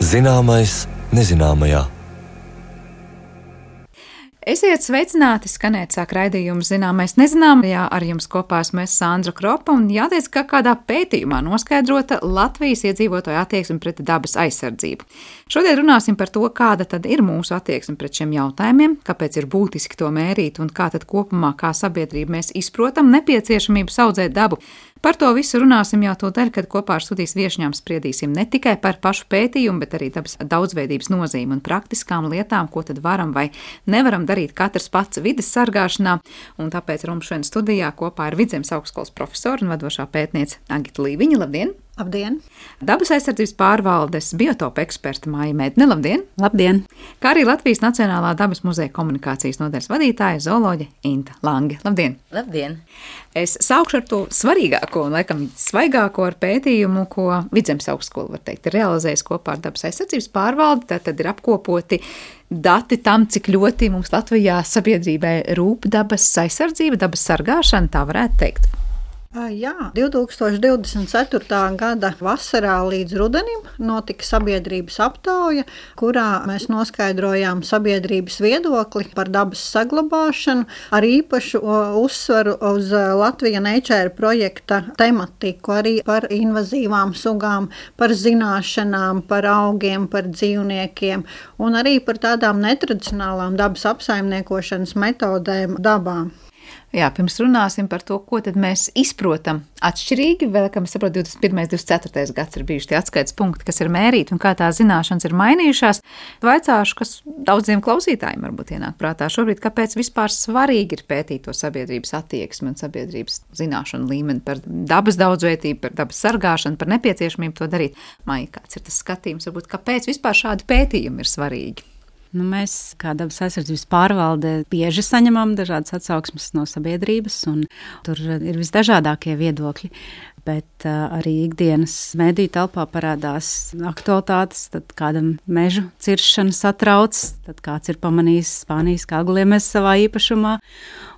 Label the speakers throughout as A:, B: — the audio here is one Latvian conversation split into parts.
A: Zināmais nezināmajā.
B: Esiet sveicināti, skanēt sāk raidījums Zināmais nezināmajā. Ar jums kopā esmu Sandra Kropa un jāteic, ka kādā pētījumā noskaidrota Latvijas iedzīvotāju attieksme pret dabas aizsardzību. Šodien runāsim par to, kāda tad ir mūsu attieksme pret šiem jautājumiem, kāpēc ir būtiski to mērīt un kā tad kopumā kā sabiedrība mēs izprotam nepieciešamību saudzēt dabu. Par to visu runāsim jau tūdaļ, kad kopā ar studijas viešņām spriedīsim ne tikai par pašu pētījumu, bet arī dabas daudzveidības nozīmi un praktiskām lietām, ko tad varam vai nevaram darīt katrs pats vides sargāšanā. Un tāpēc mums šodien studijā kopā ar Vidzemes augstskolas profesoru un vadošā pētniece Agita Līviņa. Labdien!
C: Labdien!
B: Dabas aizsardzības pārvaldes biotopa eksperta Māja Mēdne. Labdien!
C: Labdien!
B: Kā arī Latvijas Nacionālā dabas muzeja komunikācijas nodaļas vadītāja zooloģe Inta Lange. Labdien!
D: Labdien!
B: Es sākšu ar to svarīgāko un, laikam, svaigāko ar pētījumu, ko Vidzemes augstskola, var teikt, ir realizējis kopā ar dabas aizsardzības pārvaldi. Tad ir apkopoti dati tam, cik ļoti mums Latvijā sabiedrībai rūp dabas aizsardzība, dabas sargāšana, tā varētu teikt.
C: Jā, 2024. gada vasarā līdz rudenim notika sabiedrības aptauja, kurā mēs noskaidrojām sabiedrības viedokli par dabas saglabāšanu ar īpašu uzsvaru uz Latvija Nature projekta tematiku, arī par invazīvām sugām, par zināšanām, par augiem, par dzīvniekiem un arī par tādām netradicionālām dabas apsaimniekošanas metodēm dabā.
B: Jā, pirms runāsim par to, ko tad mēs izprotam atšķirīgi, vēl, kā mēs saprotam, 21. 24. gads ir bijuši tie atskaites punkti, kas ir mērīti un kā tās zināšanas ir mainījušās. Vaicāšu, kas daudziem klausītājiem varbūt ienāk prātā šobrīd, kāpēc vispār svarīgi ir pētīt to sabiedrības attieksmi un sabiedrības zināšanu līmeni par dabas daudzveidību, par dabas sargāšanu, par nepieciešamību to darīt. Maija, kāds ir tas skatījums, varbūt, kāpēc vispār šādi pētījumi ir svarīgi?
E: Mēs, kā dabas aizsardzības pārvalde, bieži saņemam dažādas atsauksmes no sabiedrības, un tur ir visdažādākie viedokļi. Bet arī ikdienas mediju telpā parādās aktualitātes, tad kādam mežu ciršana satrauc, tad kāds ir pamanījis Spānijas kāguliemes savā īpašumā,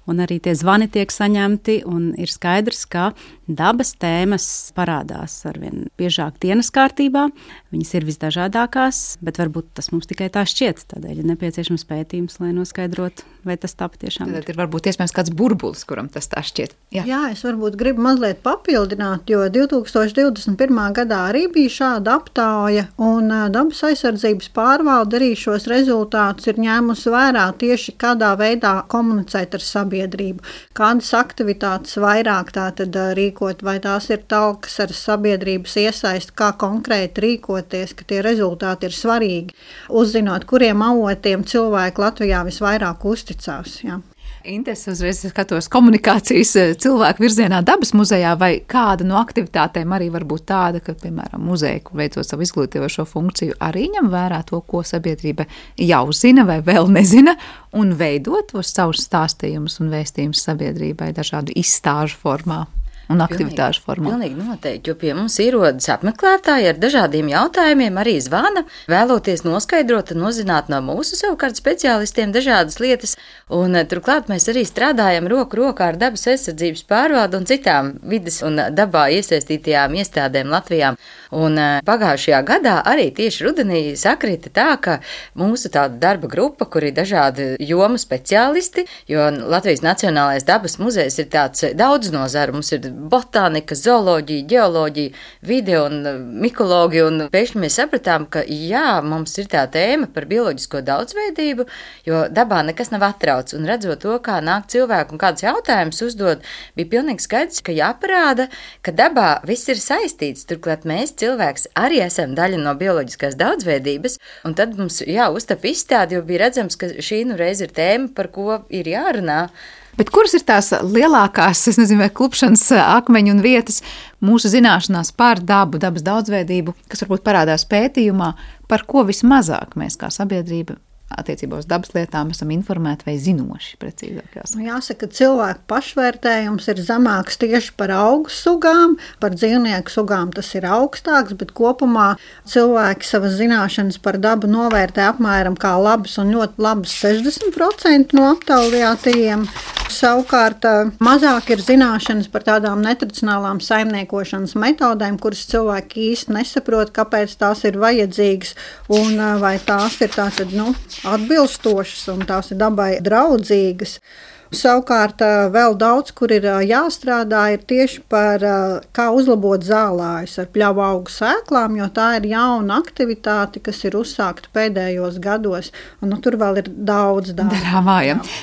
E: un arī tie zvani tiek saņemti, un ir skaidrs, ka dabas tēmas parādās arvien biežāk dienas kārtībā. Viņas ir visdažādākās, bet varbūt tas mums tikai tā šķiet. Tādēļ ir nepieciešams pētījums, lai noskaidrotu, vai tas tā patiešām ir.
B: Tad ir varbūt iespējams kāds burbulis, kuram tas tā šķiet.
C: Jā, es varbūt gribu mazliet papildināt, jo 2021. gadā arī bija šāda aptauja, un dabas aizsardzības pārvalde arī šos rezultātus ir ņēmusi vērā tieši kādā veidā komunicēt ar sabiedrību. Kādas aktivitātes vairāk tātad rīkot, vai tās ir talkas ar sabiedrības iesaistu, kā konkrēti rīkoties, ka tie rezultāti ir svarīgi, uzzinot, kuriem avotiem cilvēki Latvijā visvairāk uzticās. Jā.
B: Intes, uzreiz skatos komunikācijas cilvēku virzienā dabas muzejā, vai kāda no aktivitātēm arī var būt tāda, ka, piemēram, muzeja, kur veicot savu izglītojošo funkciju, arī ņem vērā to, ko sabiedrība jau zina vai vēl nezina, un veidot tos savus stāstījumus un vēstījumus sabiedrībai dažādu izstāžu formā un aktivitāšu formā.
D: Pilnīgi noteikti, jo pie mums ierodas apmeklētāji ar dažādiem jautājumiem, arī zvana, vēloties noskaidrot un uzzināt no mūsu savukārt speciālistiem dažādas lietas, un turklāt mēs arī strādājam roku rokā ar dabas aizsardzības pārvaldu un citām vides un dabā iesaistītajām iestādēm Latvijā. Un pagājušajā gadā arī tieši rudenī sakrita tā, ka mūsu tāda darba grupa, kur ir dažādi jomu speciālisti, jo Latvijas Nacionālais dabas muzejs ir tāds daudz nozaru, mums ir botānika, zooloģija, ģeoloģija, vide un mikoloģija, un pēkšņi mēs sapratām, ka jā, mums ir tā tēma par bioloģisko daudzveidību, jo dabā nekas nav atrauc, un redzot to, kā nāk cilvēku un kāds jautājums uzdod, bija pilnīgi skaidrs, ka jāparāda, ka dabā viss ir saistīts, turklāt mēs cilvēks arī esam daļa no bioloģiskās daudzveidības, un tad mums uztap izstādi, jo bija redzams, ka šī reiz ir tēma, par ko ir jārunā.
B: Bet kuras ir tās lielākās, es nezinu, vai klupšanas akmeņu un vietas mūsu zināšanās par dabu, dabas daudzveidību, kas varbūt parādās pētījumā, par ko vismazāk mēs kā sabiedrība attiecībā uz dabas lietām esam informēti vai zinoši, precīzāk jāsaka?
C: Jāsaka, ka cilvēku pašvērtējums ir zemāks tieši par augu sugām, par dzīvnieku sugām tas ir augstāks, bet kopumā cilvēki savas zināšanas par dabu novērtē apmēram kā labas un ļoti labas 60% no aptaujātajiem. Savukārt mazāk ir zināšanas par tādām netradicionālām saimniekošanas metodēm, kuras cilvēki īsti nesaprot, kāpēc tās ir vajadzīgas un vai tās ir tātad, atbilstošas un tās ir dabai draudzīgas. Savukārt vēl daudz, kur ir jāstrādā, ir tieši par kā uzlabot zālājus ar pļauju augu sēklām, jo tā ir jauna aktivitāte, kas ir uzsākta pēdējos gados, un tur vēl ir daudz
B: darāmā.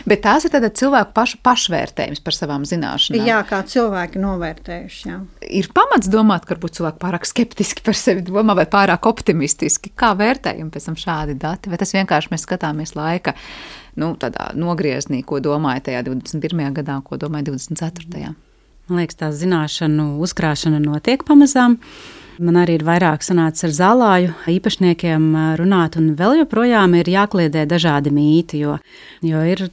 B: Bet tās ir tāda cilvēku pašvērtējums par savām zināšanām.
C: Jā, kā cilvēki novērtējuši. Jā.
B: Ir pamats domāt, ka varbūt cilvēki pārāk skeptiski par sevi domā vai pārāk optimistiski. Kā vērtējumi pēc tam šādi dati? Vai tas vienkārši mēs skatāmies laika tādā nogrieznī, ko domāja tajā 21. gadā, ko domāja 24.
E: Man liekas, tā zināšanu uzkrāšana notiek pamazām. Man arī ir vairāk sanācis ar zālāju īpašniekiem runāt, un vēl joprojām ir jākliedē dažādi mīti, jo ir,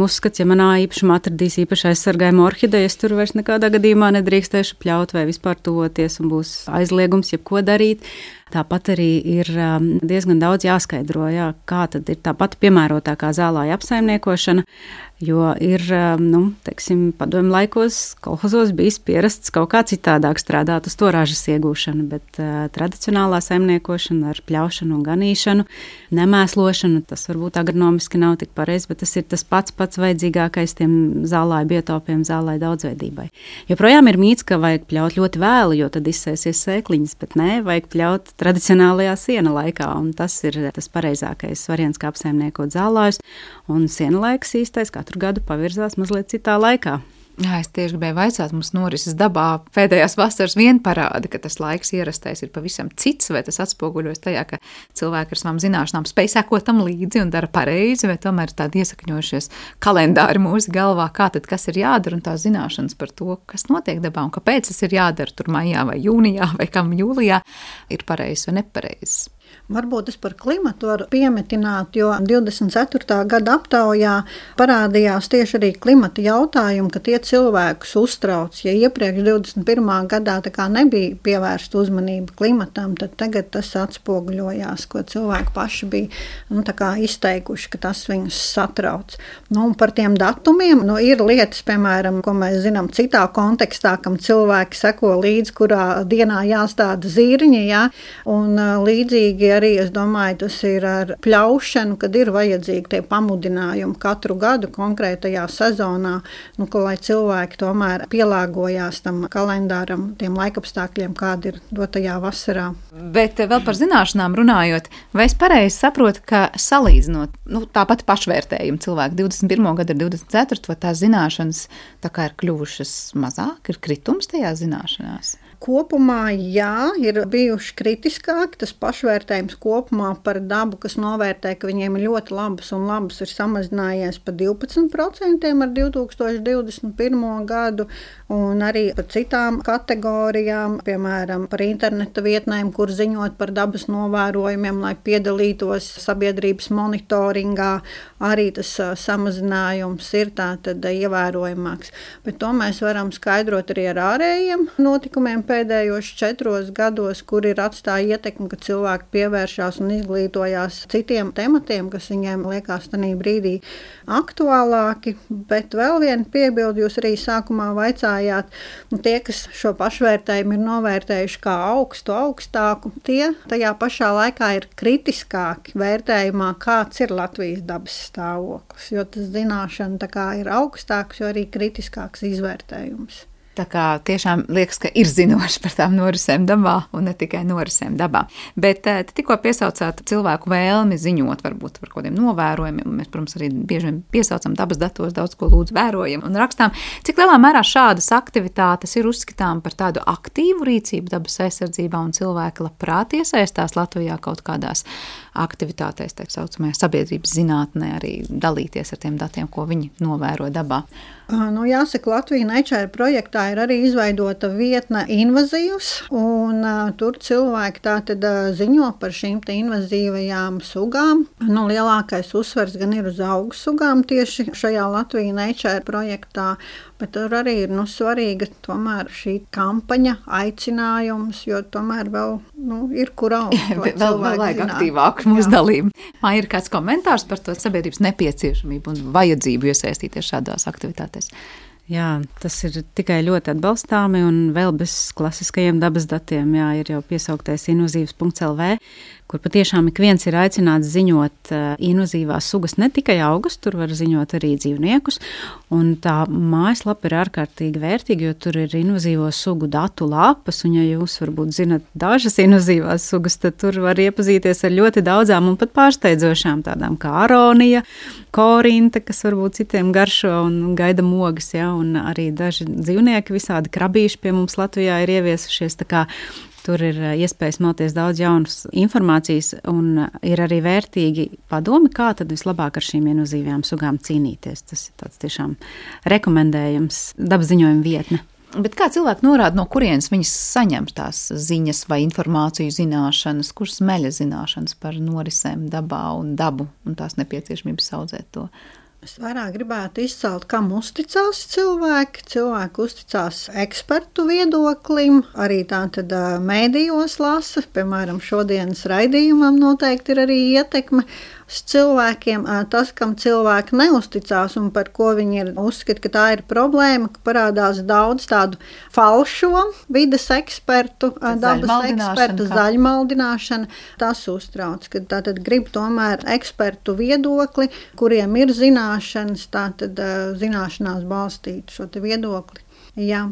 E: uzskats, ja manā īpašumā atradīs īpaši aizsargājumu orhidejas, tur vairs nekādā gadījumā nedrīkstēšu pļaut vai vispār tuvoties, un būs aizliegums jebko darīt. Tāpat arī ir diezgan daudz jāskaidro, kā tad ir tā pati piemērotākā zālāja apsaimniekošana, jo ir, padomju laikos kolhozos bijis pierasts kaut kā citādāk strādāt uz to ražas iegūšanu, bet tradicionālā saimniekošana ar pļaušanu un ganīšanu, nemēslošanu, tas varbūt agronomiski nav tik pareizi, bet tas ir tas pats vajadzīgākais tiem zālāju biotopiem, zālāju daudzveidībai. Joprojām ir mīts, ka vajag pļaut ļoti vēlu, jo tad izsēsies sēkliņas, bet nē, vajag pļaut tradicionālajā siena laikā, un tas ir tas pareizākais variants, kā apsaimniekot zālājus, un siena laiks īstais katru gadu pavirzās mazliet citā laikā.
B: Jā, es tieši gribēju vaicāt, mums norises dabā pēdējās vasaras vien parāda, ka tas laiks ierastais ir pavisam cits, vai tas atspoguļojas tajā, ka cilvēki ar savām zināšanām spēj sekot tam līdzi un dara pareizi, vai tomēr tādi iesakņojušies kalendāri mūsu galvā, kā tad kas ir jādara un tās zināšanas par to, kas notiek dabā un kāpēc tas ir jādara tur maijā vai jūnijā vai kam jūlijā, ir pareizs vai nepareizs.
C: Varbūt es par klimatu varu piemetināt, jo 24. gada aptaujā parādījās tieši arī klimata jautājumi, ka tie cilvēkus uztrauc. Ja iepriekš 21. gadā tā kā nebija pievērsta uzmanība klimatam, tad tagad tas atspoguļojās, ko cilvēki paši bija tā kā izteikuši, ka tas viņus satrauc. Un par tiem datumiem ir lietas, piemēram, ko mēs zinām citā kontekstā, kam cilvēki seko līdzi, kurā dienā jāstāda zīriņi, un līdzīgi arī, es domāju, tas ir ar pļaušanu, kad ir vajadzīgi tie pamudinājumi katru gadu konkrētajā sezonā, lai cilvēki tomēr pielāgojās tam kalendāram, tiem laikapstākļiem, kādi ir dotajā vasarā.
B: Bet vēl par zināšanām runājot, vai es pareizi saprotu, ka salīdzinot, tāpat pašvērtējumu cilvēku 21. gadu ar 24. vai tās zināšanas tā kā ir kļuvušas mazāk, ir kritums tajā zināšanās?
C: Kopumā, jā, ir bijuši kritiskāki, tas pašvērtējums kopumā par dabu, kas novērtē, ka viņiem ir ļoti labas un labas, ir samazinājies par 12% ar 2021. gadu, un arī par citām kategorijām, piemēram, par interneta vietnēm, kur ziņot par dabas novērojumiem, lai piedalītos sabiedrības monitoringā, arī tas samazinājums ir tātad ievērojamāks. Bet to mēs varam skaidrot arī ar ārējiem notikumiem pēdējos 4 gados, kur ir atstāja ietekmi, ka cilvēki pievēršās un izglītojās citiem tematiem, kas viņiem liekas tanī brīdī aktuālāki. Bet vēl viena piebilde, jūs arī sākumā vaicājāt, tie, kas šo pašvērtējumu ir novērtējuši kā augstāku, tie tajā pašā laikā ir kritiskāki vērtējumā, kāds ir Latvijas dabas stāvoklis, jo tas zināšana tā kā ir augstāks, jo arī kritiskāks izvērtējums.
B: Tā kā tiešām liekas, ka ir zinoši par tām norisēm dabā un ne tikai norisēm dabā. Bet tikko piesaucāt cilvēku vēlmi ziņot varbūt par kādiem novērojumiem. Mēs, protams, arī bieži vien piesaucam dabas datos, daudz ko lūdzu vērojam un rakstām. Cik lielā mērā šādas aktivitātes ir uzskatām par tādu aktīvu rīcību dabas aizsardzībā un cilvēki labprāt iesaistās Latvijā kaut kādās aktivitātēs, tā saucamajā sabiedrības zinātnē, arī dalīties ar tiem datiem, ko viņi novēro dabā?
C: Jāsaka, Latvija Nature projektā internetā ir arī izveidota vietne invazīvs, un tur cilvēki tātad ziņo par šīm te invazīvajām sugām. Nu, lielākais uzsvers gan ir uz augu sugām tieši šajā Latvija Nature projektā, bet tur arī ir svarīga tomēr šī kampaņa, aicinājums, jo tomēr vēl ir kur augt.
B: Vēl vajag aktīvāku mūsu dalību. Man ir kāds komentārs par to sabiedrības nepieciešamību un vajadzību iesaistīties šādās aktivitātēs.
E: Jā, tas ir tikai ļoti atbalstāmi un vēl bez klasiskajiem dabas datiem. Jā, ir jau piesauktais invazīvs.lv, kur patiešām ik viens ir aicināts ziņot invazīvās sugas, ne tikai augus, tur var ziņot arī dzīvniekus. Un tā mājaslapa ir ārkārtīgi vērtīga, jo tur ir invazīvo sugu datu lapas, un ja jūs varbūt zinat dažas invazīvās sugas, tad tur var iepazīties ar ļoti daudzām un pat pārsteidzošām tādām kā aronija, korinta, kas varbūt citiem garšo un gaida mogas, ja, un arī daži dzīvnieki, visādi krabīši pie mums Latvijā ir ieviesušies, tā kā tur ir iespējas smelties daudz jaunas informācijas un ir arī vērtīgi padomi, kā tad vislabāk ar šīm invazīvajām sugām cīnīties. Tas ir tāds tiešām rekomendējams dabas ziņojuma vietne.
B: Bet kā cilvēki norāda, no kurienes viņas saņem tās ziņas vai informāciju zināšanas, kuras smeļa zināšanas par norisēm dabā un dabu un tās nepieciešamības audzēt to?
C: Es vairāk gribētu izcelt, kam uzticās cilvēki. Cilvēki uzticās ekspertu viedoklim, arī tātad mēdījos lasa, piemēram, šodienas raidījumam noteikti ir arī ietekme uz cilvēkiem. Tas, kam cilvēki neusticās un par ko viņi uzskata, ka tā ir problēma, ka parādās daudz tādu falšo vides ekspertu, dabas ekspertu, zaļmaldināšana. Tas uztrauc, ka tātad grib tomēr ekspertu viedokli, kuriem ir zināšanas, tātad zināšanās balstīt šo te viedokli. Jā.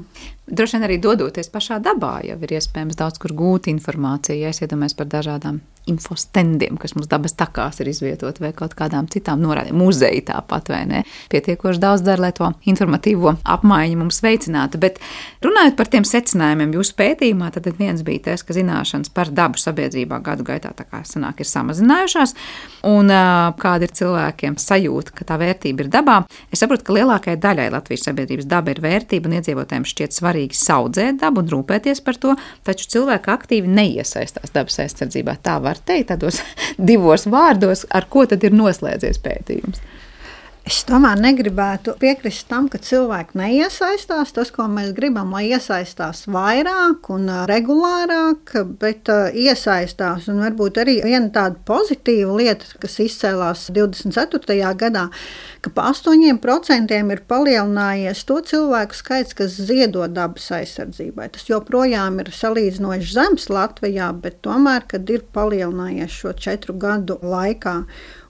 B: Droši vien arī dodoties pašā dabā, jau ir iespējams daudz kur gūt informāciju, ja es iedomājos par dažādām infostendiem, kas mums dabas takās ir izvietot vai kaut kādām citām norādēm, muzeji tāpat vai ne. Pietiekoši daudz dara, lai to informatīvo apmaiņu mums veicinātu, bet runājot par tiem secinājumiem jūsu pētījumā, tad viens bija tas, ka zināšanas par dabu sabiedrībā gadu gaitā tā kā sanāk ir samazinājušās, un kāda ir cilvēkiem sajūta, ka tā vērtība ir dabā. Es saprotu, ka lielākajai daļai Latvijas sabiedrības daba ir vērtība un iedzīvotājiem šķiet svarīgi saudzēt dabu un rūpēties par to, taču cilvēki aktīvi neiesaistās dabas aizsardzībā. Tā var teikt tādos divos vārdos, ar ko tad ir noslēdzies pētījums.
C: Es tomēr negribētu piekrist tam, ka cilvēki neiesaistās. Tas, ko mēs gribam, lai iesaistās vairāk un regulārāk, bet iesaistās. Un varbūt arī viena tāda pozitīva lieta, kas izcēlās 24. gadā, ka pa 8% ir palielinājies to cilvēku skaits, kas ziedo dabas aizsardzībai. Tas joprojām ir salīdzinoši zems Latvijā, bet tomēr, kad ir palielinājies šo 4 gadu laikā.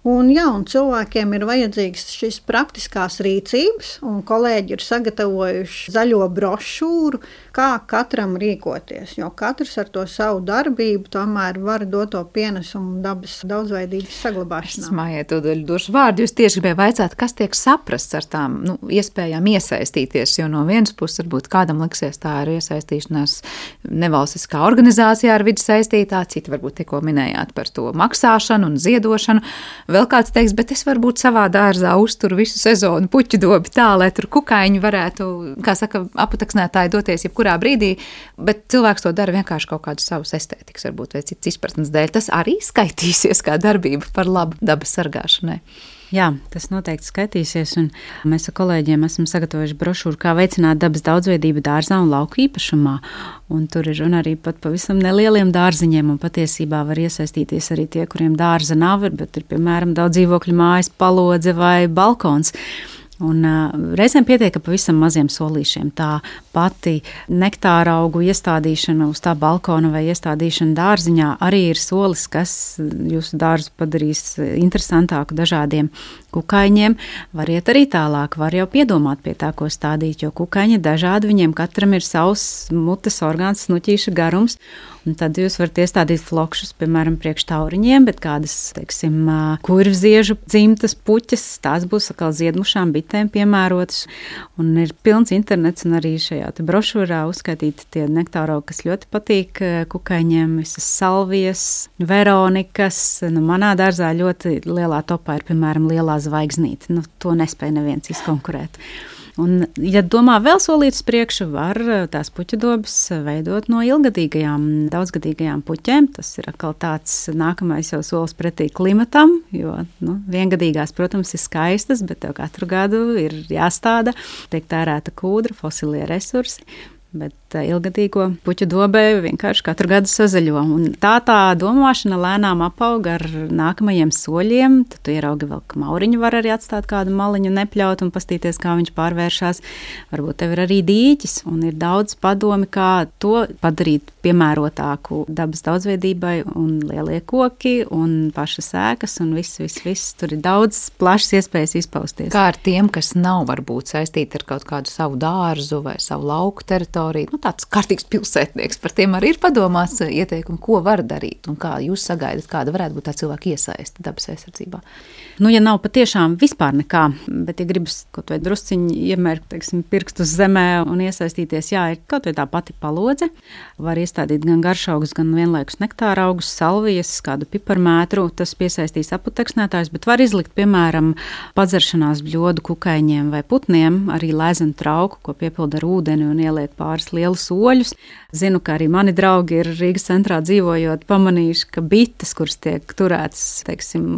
C: Un cilvēkiem ir vajadzīgas šīs praktiskās rīcības, un kolēģi ir sagatavojuši zaļo brošūru, kā katram rīkoties, jo katrs ar to savu darbību tomēr var dot to pienesumu dabas daudzveidības saglabāšanā.
B: Mājai to došu vārdu, jūs tieši gribēju vaicāt, kas tiek saprasts ar tām iespējām iesaistīties, jo no vienas puses varbūt kādam liksies tā ir iesaistīšanās nevalstiskā organizācijā ar vidi saistītā, citi varbūt tikko minējāt par to maksāšanu un ziedošanu. Vēl kāds teiks, bet es varbūt savā dārzā uzturu visu sezonu puķu dobi tā, lai tur kukaiņi varētu, kā saka, aputaksnētāji doties jebkurā brīdī, bet cilvēks to dara vienkārši kaut kādu savus estētikas, varbūt vai cits izpratnes dēļ. Tas arī skaitīsies kā darbība par labu dabas sargāšanai.
E: Jā, tas noteikti skaitīsies, un mēs ar kolēģiem esam sagatavojuši brošūru, kā veicināt dabas daudzveidību dārzā un lauku īpašumā. Un tur ir runa arī pat pavisam nelieliem dārziņiem, un patiesībā var iesaistīties arī tie, kuriem dārza nav, bet ir, piemēram, daudz dzīvokļu mājas, palodze vai balkons. Un reizēm pietiek ar pavisam maziem solīšiem. Tā pati nektāra augu iestādīšana uz tā balkona vai iestādīšana dārziņā arī ir solis, kas jūsu dārzu padarīs interesantāku dažādiem kukaiņiem. Var iet arī tālāk, var jau piedomāt pie tā, ko stādīt, jo kukaiņi dažādi, viņiem katram ir savs mutes orgāns, snuķīša garums. Un tad jūs varat iestādīt flokšus, piemēram, priekš tauriņiem, bet kādas, teiksim, kurvziežu dzimtas puķes, tās būs atkal ziedmušām bitēm piemērotas. Un ir pilns internets un arī šajā te brošūrā uzskaitīti tie nektāro, kas ļoti patīk kukaiņiem, visas salvijas, veronikas. Manā dārzā ļoti lielā topā ir, piemēram, lielā zvaigznīte. To nespēja neviens izkonkurēt. Un, ja domā vēl solītas priekšu, var tās puķudobes veidot no ilgadīgajām, daudzgadīgajām puķēm. Tas ir atkal tāds nākamais jau solis pretī klimatam, jo viengadīgās, protams, ir skaistas, bet tev katru gadu ir jāstāda, tiek tērēta kūdra, fosilie resursi. Bet ilgadīgo puķu dobē vienkārši katru gadu sazaļo. Un tā domāšana lēnām apauga ar nākamajiem soļiem. Tad tu ieraugi vēl, ka mauriņu var arī atstāt kādu maliņu, nepļaut un pastīties, kā viņš pārvēršās. Varbūt tev ir arī dīķis un ir daudz padomi, kā to padarīt piemērotāku dabas daudzveidībai un lielie koki un pašas ēkas un viss. Tur ir daudz plašas iespējas izpausties.
B: Kā ar tiem, kas nav varbūt saistīti ar kaut kādu savu dārzu vai savu lauku teritoriju? Tāds kārtīgs pilsētnieks, par tiem arī ir padomāts ieteikumi, ko var darīt un kā jūs sagaidat, kāda varētu būt tā cilvēka iesaiste dabas aizsardzībā.
E: Ja nav patiešām vispār nekā, bet ja gribas kaut vai drusciņi iemērkt, pirkstus zemē un iesaistīties, ir kaut vai tā pati palodze, var iestādīt gan garšaugus, gan vienlaikus nektāra augus, salvijas, kādu piparmētru, tas piesaistīs aputeksnētājus, bet var izlikt, piemēram, padzeršanās bļodu kukaiņiem vai putniem, arī lēzenu trauku, ko piepilda ar ūdeni un ieliek pāris lielus oļus. Zinu, ka arī mani draugi ir Rīgas centrā dzīvojot, pamanījuši, ka bites, kuras tiek turētas,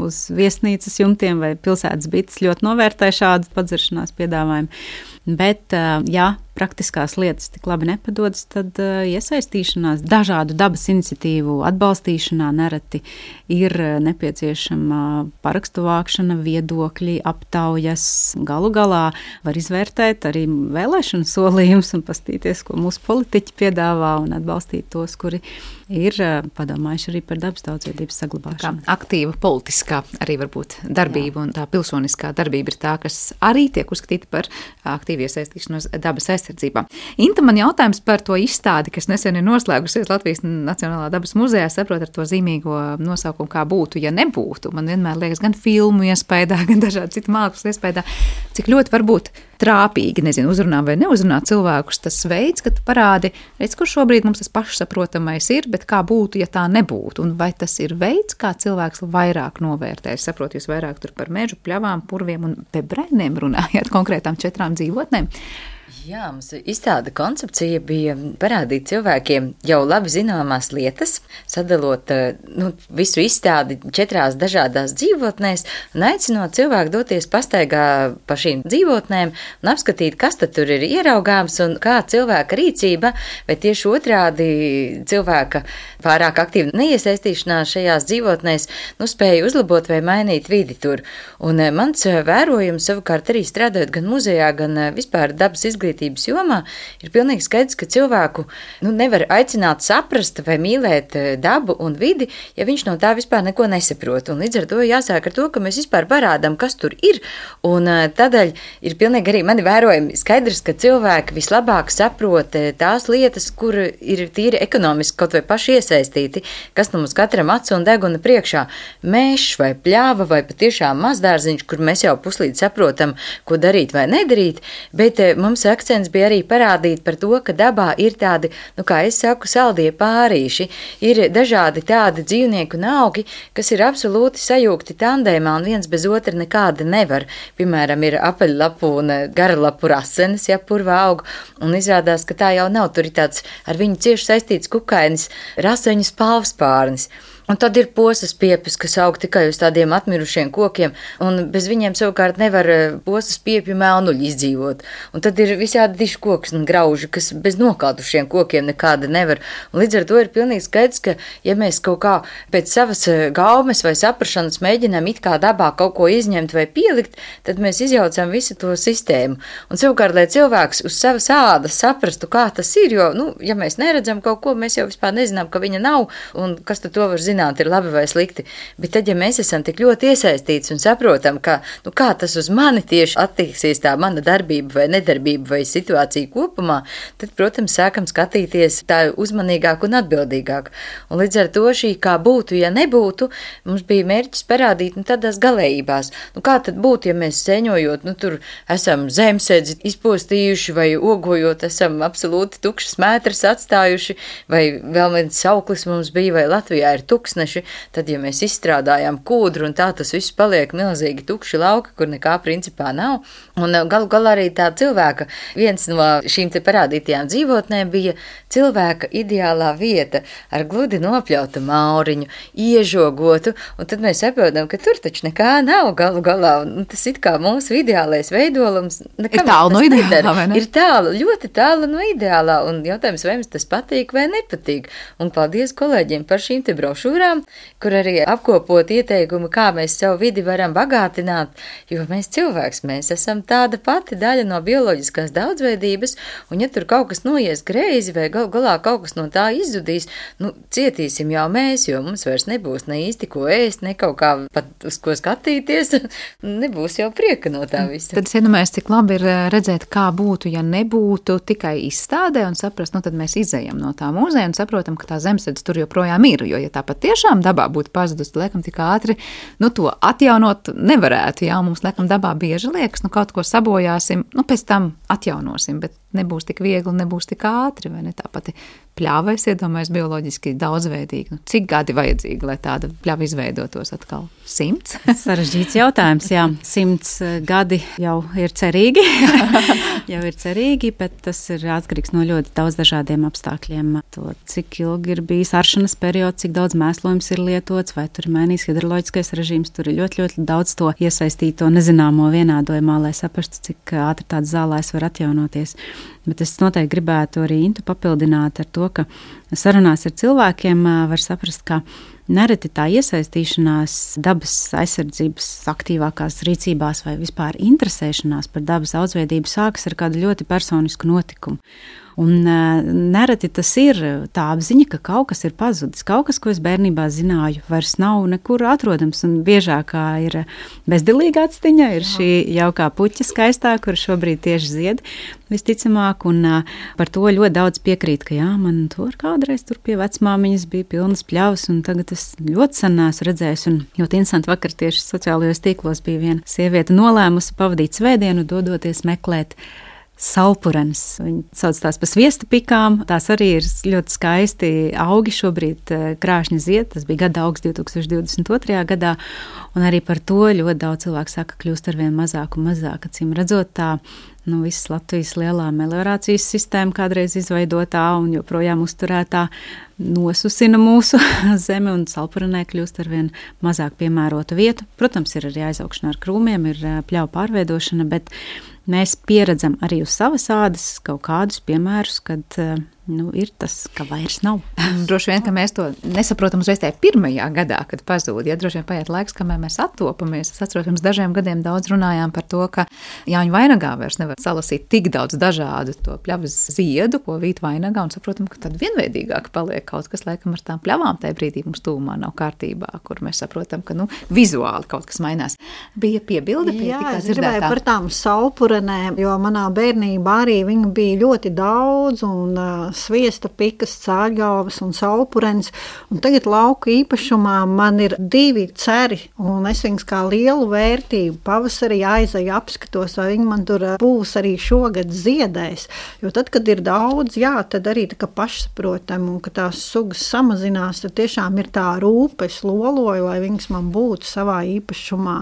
E: uz viesnīcas jumtiem vai pilsētas bites, ļoti novērtē šādu padzeršanās piedāvājumu. Bet, praktiskās lietas tik labi nepadodas, tad iesaistīšanās dažādu dabas iniciatīvu atbalstīšanā nereti ir nepieciešama parakstu vākšana, viedokļi, aptaujas. Galu galā var izvērtēt arī vēlēšanu solījumus un pastīties, ko mūsu politiķi piedāvā un atbalstīt tos, kuri ir padomājuši arī par dabas daudzveidības saglabāšanu.
B: Aktīva politiskā arī varbūt darbība un tā pilsoniskā darbība ir tā, kas arī tiek uzskatīta par aktīvu iesaistīšanos dabas aizsardzībā. Inta, man jautājums par to izstādi, kas nesen ir noslēgusies Latvijas Nacionālā dabas muzejā, saprot ar to zīmīgo nosaukumu, kā būtu, ja nebūtu. Man vienmēr liekas gan filmu iespējā, gan dažādi citu mākslas iespējā, cik ļoti varbūt trāpīgi, uzrunā vai neuzrunā cilvēkus tas veids, ka tu parādi, redz, kur šobrīd mums tas pašsaprotamais ir, bet kā būtu, ja tā nebūtu. Un vai tas ir veids, kā cilvēks vairāk novērtē? Es saprotu, jūs vairāk tur par mežu, pļavām, purviem un bebrēniem runājāt, konkrētām 4 dzīvotnēm.
D: Jā, mums izstāde koncepcija bija parādīt cilvēkiem jau labi zināmās lietas, sadalot visu izstādi 4 dažādās dzīvotnēs un aicinot cilvēku doties pastaigā pa šīm dzīvotnēm un apskatīt, kas tad tur ir ieraugāms un kā cilvēka rīcība, vai tieši otrādi cilvēka pārāk aktīva neiesaistīšanās šajās dzīvotnēs spēja uzlabot vai mainīt vidi tur. Un mans vērojums savukārt arī strādājot gan muzejā, gan vispār dabas izglītības jomā, ir pilnīgi skaidrs, ka cilvēku nevar aicināt saprast vai mīlēt dabu un vidi, ja viņš no tā vispār neko nesaprot. Un līdz ar to jāsāk ar to, ka mēs vispār parādām, kas tur ir, un tādēļ ir pilnīgi arī mani vērojumi skaidrs, ka cilvēki vislabāk saprot tās lietas, kur ir tīri ekonomiski kaut vai paši iesaistīti, kas mums katram acu un deguna priekšā. Mežs vai pļāva vai patiešām mazdārziņš, kur mēs jau puslīdz saprotam, ko darīt vai nedarīt, bet mums akcents bija arī parādīt par to, ka dabā ir tādi, kā es saku, saldie pārīši, ir dažādi tādi dzīvnieki un augi, kas ir absolūti sajūgti tandēmā un viens bez otra nekāda nevar. Piemēram, ir apaļlapu un garalapu rasenes, purva aug, un izrādās, ka tā jau nav, tur ir tāds ar viņu cieši saistīts kukainis, raseņu spalvspārnis. Un tad ir posas piepis, kas aug tikai uz tādiem atmirušiem kokiem, un bez viņiem savukārt nevar posas piepju melnuļi izdzīvot. Un tad ir visādi diši koks un grauži, kas bez nokādušiem kokiem nekāda nevar. Un līdz ar to ir pilnīgi skaidrs, ka ja mēs kaut kā pēc savas gaumes vai saprašanas mēģinām it kā dabā kaut ko izņemt vai pielikt, tad mēs izjaucam visu to sistēmu. Un savukārt, lai cilvēks uz savas ādas saprastu, kā tas ir, jo, ja mēs neredzam kaut ko, mēs jau vispār nezinām, ka viņa nav, un kas tad to var zināt, ir labi vai slikti. Bet tad, ja mēs esam tik ļoti iesaistīts un saprotam, ka, kā tas uz mani tieši attieksies tā mana darbība vai nedarbība vai situācija kopumā, tad, protams, sākam skatīties tā uzmanīgāk un atbildīgāk. Un līdz ar to šī kā būtu, ja nebūtu, mums bija mērķis parādīt tādās galējībās. Kā tad būtu, ja mēs sēņojot, tur esam zemsēdzi izpostījuši vai ogojot, esam absolūti tukšas mētras atstājuši, vai vēl viens sauklis mums bija, vai Latvijā ir tukšs tuksneši, tad, ja mēs izstrādājam kūdru un tā tas viss paliek milzīgi tukši lauki, kur nekā principā nav. Un galu galā arī tā cilvēka, viens no šīm te parādītajām dzīvotnēm bija cilvēka ideālā vieta ar gludi nopļautu mauriņu, iežogotu, un tad mēs saprotam, ka tur taču nekā nav galu galā, un tas it kā mūsu ideālais veidolums
B: ir tālu no ideālā, vai ne?
D: Ir tālu, ļoti tālu no ideālā, un jautājums, vai mums tas patīk vai nepatīk. Un paldies kolēģiem par šīm te brošūrām, kur arī apkopot ieteikumu, kā mēs savu vidi varam bagātināt, jo mēs cilvēks, mēs esam tāda pati daļa no bioloģiskās daudzveidības, un ja tur kaut kas noies greizi vai galā kaut kas no tā izzudīs, cietīsim jau mēs, jo mums vairs nebūs ne īsti ko ēst, ne kaut kā pat uz ko skatīties, nebūs jau prieka no tā visa.
B: Tad es iedomājos, cik labi ir redzēt, kā būtu, ja nebūtu tikai izstādē un saprast, tad mēs izejam no tā mūzeja un saprotam, ka tā zemesardze tur joprojām ir, jo, ja tā pat tiešām dabā būtu pazudusi, laikam tik ātri, to atjaunot nevarētu, jā, mums laikam dabā bieži liekas, kaut ko sabojāsim, pēc tam atjaunosim, bet nebūs tik viegli, nebūs tik ātri, vai ne? Tā pati pļava, es iedomājos, bioloģiski daudzveidīgi. Cik gadi vajadzīgi, lai tāda pļava izveidotos atkal? 100?
E: Sarežģīts jautājums, jā. 100 gadi jau ir cerīgi. Bet tas ir atkarīgs no ļoti daudz dažādiem apstākļiem. To, cik ilgi ir bijis aršanas periods, cik daudz mēslojums ir lietots, vai tur ir mainījis hidroloģiskais režīms, tur ir ļoti, ļoti daudz to iesaistīto nezināmo vienādojumā, lai saprastu, cik ātri tāds zālājs var atjaunoties. Bet es noteikti gribētu arī Intu papildināt ar to, ka sarunās ar cilvēkiem var saprast, ka nereti tā iesaistīšanās dabas aizsardzības aktīvākās rīcībās vai vispār interesēšanās par dabas daudzveidību sākas ar kādu ļoti personisku notikumu. Un nereti tas ir tā apziņa, ka kaut kas ir pazudis, kaut kas, ko es bērnībā zināju, vairs nav nekur atrodams, un biežākā ir bezdelīga atstiņa, ir šī jaukā puķa skaistā, kur šobrīd tieši zied visticamāk, un par to ļoti daudz piekrīt, ka jā, man tur kādreiz tur pie vecmāmiņas bija pilnas pļavas, un tagad es ļoti sen neesmu redzējis, un ļoti interesanti vakar tieši sociālajos tīklos bija viena sieviete nolēmusi pavadīt svētdienu, dodoties meklēt salpurenes. Viņi sauc tās pa sviesta pikām. Tās arī ir ļoti skaisti augi šobrīd krāšņi zied. Tas bija gada augs 2022. gadā. Un arī par to ļoti daudz cilvēku saka, kļūst arvien mazāk un mazāk. Acīm redzot tā, visas Latvijas lielā meliorācijas sistēma kādreiz izveidotā un joprojām uzturētā nosusina mūsu zemi un salpurenē kļūst arvien mazāk piemērota vieta. Protams, ir arī aizaugšana ar krūmiem, ir pļauju pārveidošana, bet mēs pieredzam arī uz savas ādas kaut kādus piemērus, kad ir tas, ka vairs nav.
B: Droši vien, ka mēs to nesaprotam uzreiz tajā pirmajā gadā, kad pazūd. Ja droši vien paiet laiks, kamēr mēs attopamies. Es atceros, pirms dažiem gadiem daudz runājām par to, ka Jāņu vainagā vairs nevar salasīt tik daudz dažādu to pļavas ziedu, ko vīt vainagā, un saprotam, ka tad vienveidīgāk paliek kaut kas, laikam ar tām pļavām tajā brīdī mums tūmā nav kārtībā, kur mēs saprotam, ka vizuāli kaut kas mainās. Bija piebilde pie tikā dzirdētā.
C: Jā, es gribēju par tām salpurenēm, jo manā bērnībā arī viņu bija ļoti daudz, un sviesta pikas, cāļgalvas un salpurens, un tagad lauku īpašumā man ir 2 ceri, un es viņus kā lielu vērtību pavasarī aizeju apskatos, vai viņi man tur būs arī šogad ziedēs, jo tad, kad ir daudz, jā, tad arī tā kā pašsaprotam, un ka tās sugas samazinās, tad tiešām ir tā rūpe, es loloju, lai viņas man būtu savā īpašumā.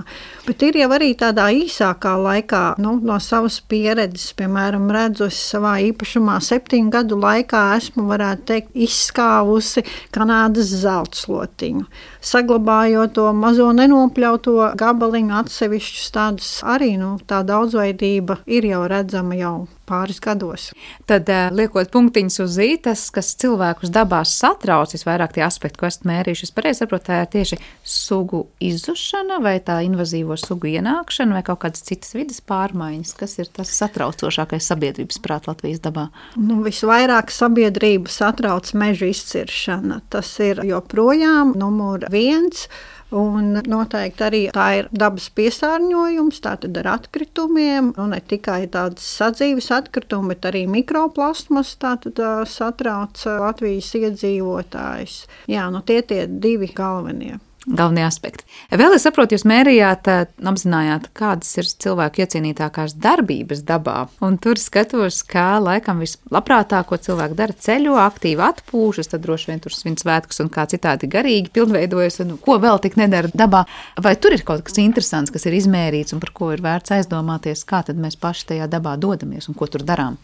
C: Bet ir jau arī tādā īsākā laikā, no savas pieredzes, piemēram, redzu es savā īpašumā 7 gadu laikā esmu, varētu teikt, izskāvusi Kanādas zeltslotiņu. Saglabājot to mazo nenopļauto gabaliņu atsevišķus tādus arī, tā daudzveidība ir jau redzama jau pāris gados.
B: Tad liekot punktiņus uz zītas, kas cilvēkus dabās satrauc, visvairāk tie aspekti, ko esat mērījuši. Es pareizi saprotu, tā ir tieši sugu izzušana vai tā invazīvo sugu ienākšana vai kaut kādas citas vidas pārmaiņas, kas ir tas satraucošākais sabiedrības prāt Latvijas dabā?
C: Visvairāk sabiedrību satrauc meža izciršana. Tas ir joprojām numur 1. Un noteikti arī tā ir dabas piesārņojums, tātad ar atkritumiem, ne tikai tādas sadzīves atkritumi, bet arī mikroplasmas tātad satrauc Latvijas iedzīvotājus. Jā, tie 2 galvenie.
B: galvenie aspekti. Vēl es saprotu, jūs mērījāt, apzinājāt, kādas ir cilvēku iecienītākās darbības dabā. Un tur skatos, kā laikam vislabprātāko cilvēku dara ceļo, aktīvi atpūšas, tad droši vien tur svin svētkus un kā citādi garīgi pilnveidojas, un ko vēl tik nedara dabā. Vai tur ir kaut kas interesants, kas ir izmērīts un par ko ir vērts aizdomāties, kā tad mēs paši tajā dabā dodamies un ko tur darām?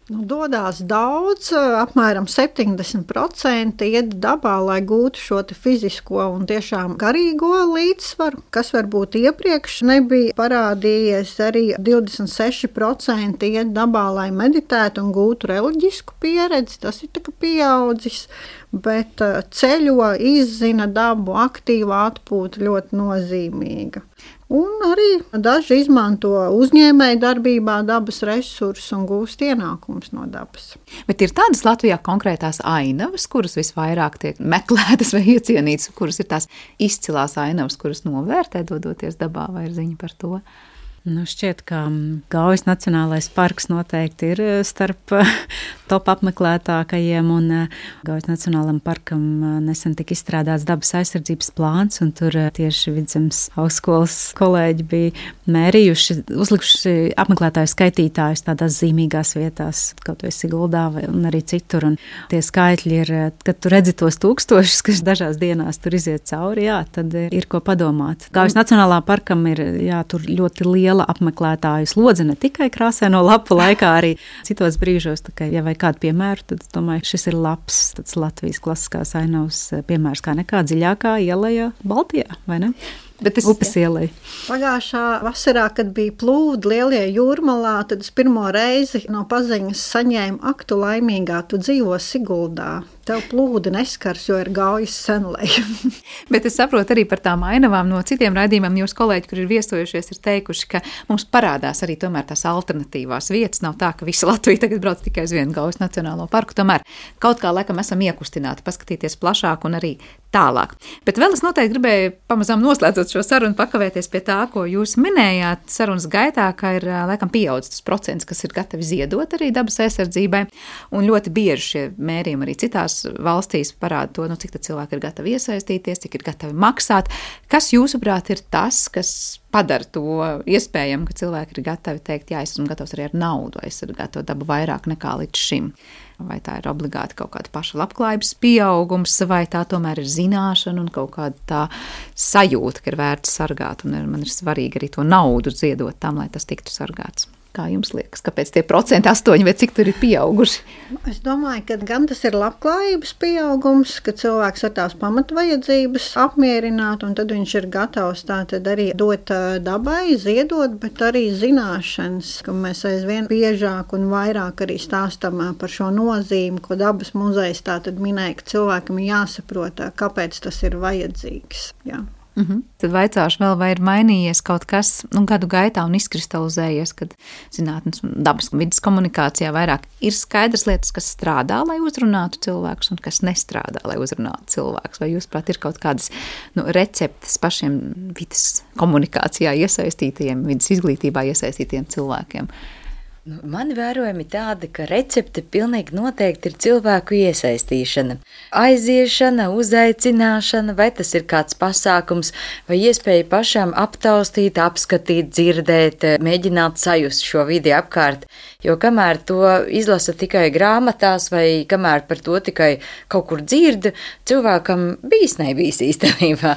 C: Dodās daudz, apmēram 70% iet dabā, lai gūtu šo fizisko un tiešām garīgo līdzsvaru, kas varbūt iepriekš nebija parādījies. Arī 26% iet dabā, lai meditētu un gūtu reliģisku pieredzi, tas ir tā kā pieaudzis. Bet ceļo, izzina dabu, aktīva atpūta ļoti nozīmīga. Un arī daži izmanto uzņēmēju darbībā dabas resursus un gūst ienākumus no dabas.
B: Bet ir tādas Latvijā konkrētās ainavas, kuras visvairāk tiek meklētas vai iecienītas, kuras ir tās izcilās ainavas, kuras novērtē dodoties dabā, vai ir ziņa par to?
E: Šķiet, ka Gaujas Nacionālais parks noteikti ir starp top apmeklētākajiem, un Gaujas Nacionālajam parkam nesen tika izstrādāts dabas aizsardzības plāns, un tur tieši Vidzemes augstskolas kolēģi bija mērījuši, uzlikuši apmeklētāju skaitītājus tādās zīmīgās vietās, kaut vai Siguldā un arī citur, un tie skaitļi ir, kad tu redzi tos tūkstošus, kas dažās dienās tur iziet cauri, jā, tad ir ko padomāt. Gaujas Nacionālā parkam ir, jā, tur ļoti liela apmeklētāju slodze, ne tikai krāsaino lapu laikā, arī citos brīžos. Tā kā, ja vai kādu piemēru, tad domāju, šis ir labs tāds Latvijas klasiskās ainavas piemērs, kā nekā dziļākā ielajā Baltijā, vai ne? Upes ielai.
C: Pagājušā vasarā, kad bija plūdi Lielie Jūrmalā, tad es pirmo reizi no paziņas saņēmu: ak, tu laimīgā, tu dzīvo Siguldā. Tev plūdi neskars, jo ir Gaujas senleja.
B: Bet es saprotu arī par tām ainavām no citiem raidījumiem. Jūs kolēģi, kur ir viesojušies, ir teikuši, ka mums parādās arī tomēr tās alternatīvās vietas. Nav tā, ka visa Latvija tagad brauc tikai uz vienu Gaujas Nacionālo parku. Tomēr kaut kā laikam esam iekustināti paskatīties plašāk un arī tālāk. Bet vēl es noteikti gribēju pamazām noslēdzot šo sarunu pakavēties pie tā, ko jūs minējāt sarunas gaitā, ka ir laikam pieaudzis tas procents, kas ir gatavi ziedot arī dabas aizsardzībai. Un ļoti bieži šie mērījumi arī citās valstīs parāda to, cik tad cilvēki ir gatavi iesaistīties, cik ir gatavi maksāt. Kas jūsuprāt ir tas, kas padara to iespējami, ka cilvēki ir gatavi teikt, jā, es esmu gatavs arī ar naudu aizsargāt to dabu vairāk nekā līdz šim? Vai tā ir obligāti kaut kāda paša labklājības pieaugums, vai tā tomēr ir zināšana un kaut kāda tā sajūta, ka ir vērts sargāt, un man ir svarīgi arī to naudu ziedot tam, lai tas tiktu sargāts? Kā jums liekas, kāpēc tie procenti 8 vai cik tur ir pieauguši?
C: Es domāju, ka gan tas ir labklājības pieaugums, ka cilvēks ar tās pamatvajadzības apmierināt, un tad viņš ir gatavs tātad arī dot dabai, ziedot, bet arī zināšanas, ka mēs aizvien biežāk un vairāk arī stāstam par šo nozīmi, ko dabas muzejs tātad minēja, ka cilvēkam ir jāsaprot, kāpēc tas ir vajadzīgs. Jā.
B: Tad vaicāšu vēl, vai ir mainījies kaut kas gadu gaitā un izkristalizējies, kad zinātnes un dabas vidas komunikācijā vairāk ir skaidrs lietas, kas strādā, lai uzrunātu cilvēkus, un kas nestrādā, lai uzrunātu cilvēkus. Vai jūs, prāt, ir kaut kādas receptes pašiem vidas komunikācijā iesaistītajiem, vidas izglītībā iesaistītajiem cilvēkiem?
D: Mani vērojumi tādi, ka recepte pilnīgi noteikti ir cilvēku iesaistīšana. Aiziešana, uzaicināšana, vai tas ir kāds pasākums, vai iespēja pašam aptaustīt, apskatīt, dzirdēt, mēģināt sajust šo vidi apkārt. Jo kamēr to izlasa tikai grāmatās, vai kamēr par to tikai kaut kur dzird, cilvēkam bijis nebijis īstenībā.